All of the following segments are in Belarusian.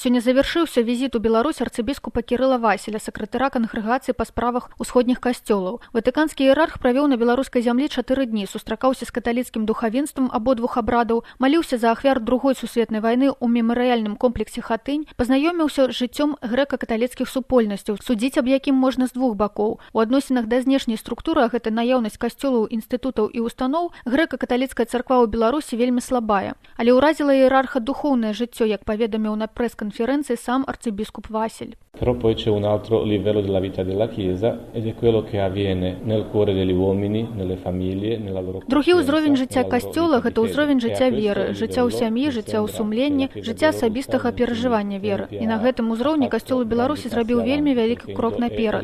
Сёння завяршыўся візіт у Беларусь арцыбіскупа Кірыла Васіля, сакратара кангрэгацыі па справах усходніх касцёлаў. Ватыканскі іерарх правёў на беларускай зямлі 4 дні, сустракаўся з каталіцкім духавенствам абодвух абрадаў, маліўся за ахвяр Другой сусветнай вайны ў мемарыяльным комплексе Хатынь, пазнаёміўся з жыццём грэка-каталіцкіх супольнасцяў, судзіць аб якім можна з двух бакоў. У адносінах да знешняй структуры, а гэта наяўнасць касцёлаў, інстытутаў і устаноў, грэка-каталіцкая царква ў Беларусі вельмі слабая. Але ўразіла іерарха духоўнае жыццё, як паведаміў на прэс-канферэнцыі сам арцыбіскуп Васіль. Però poi c'è un altro livello della vita della Chiesa ed è quello che avviene nel cuore degli uomini, nelle famiglie, nella loro Другі ўзровень жыцця касцёла – гэта ўзровень жыцця веры, жыцця ў сям'і, жыцця ў сумленні, жыцця асабістага перажывання веры. І на гэтым узроўні касцёл у Беларусі зрабіў вельмі вялікі крок наперад.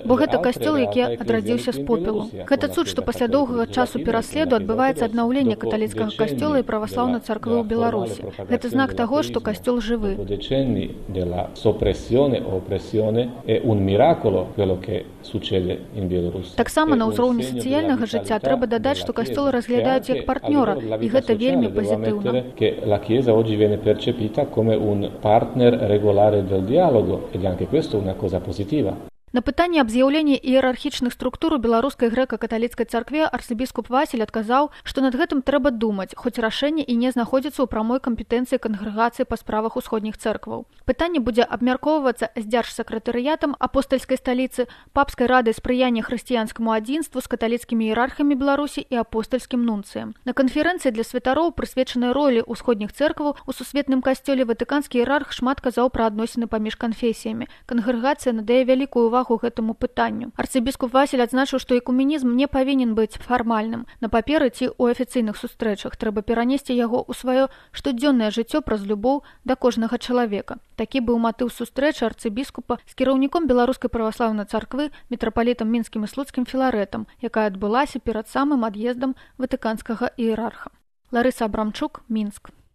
Бо гэта касцёл, які адрадзіўся з попелу. Гэта цуд, што пасля доўгага часу пераследу адбываецца аднаўленне каталіцкага касцёла і праваслаўнай царквы ў Беларусі. Гэта знак таго, што касцёл жывы. Dopo decenni della soppressione o oppressione è un miracolo quello che succede in Bielorussia. Так само на ўзроўні сацыяльнага жыцця трэба дадаць, што касцёл разглядаюць як партнёра, і гэта вельмі пазітыўна. La Chiesa oggi viene percepita come un partner regolare del dialogo ed anche questo è una cosa positiva. На пытанне аб з'яўленні іерархічных структур у беларускай грэка-каталіцкай царкве арцыбіскуп Васіль адказаў, што над гэтым трэба думаць, хоць рашэнне і не знаходзіцца ў прамой кампетэнцыі кангрэгацыі па справах усходніх цэркваў. Пытанне будзе абмяркоўвацца з дзяржсакратарыятам апостальскай сталіцы, папскай радай спрыяння хрысціянскаму адзінству з каталіцкімі іерархамі Беларусі і апостальскім нунцыем. На канферэнцыі для святароў, прысвечанай ролі ўсходніх цэркваў у сусветным касцёле, ватыканскі іерарх шмат казаў пра адносіны паміж канфесіямі. Кангрэгацыя надае вялікую увагу гэтаму пытанню. Арцыбіскуп Васіль адзначыў, што экуменізм не павінен быць фармальным. На паперы ці ў афіцыйных сустрэчах трэба перанесці яго ў сваё штодзённае жыццё праз любоў да кожнага чалавека. Такі быў матыў сустрэчы арцыбіскупа з кіраўніком беларускай праваслаўнай царквы, мітрапалітам мінскім і слуцкім Філарэтам, якая адбылася перад самым ад'ездам ватыканскага іерарха. Ларыса Абрамчук, Мінск.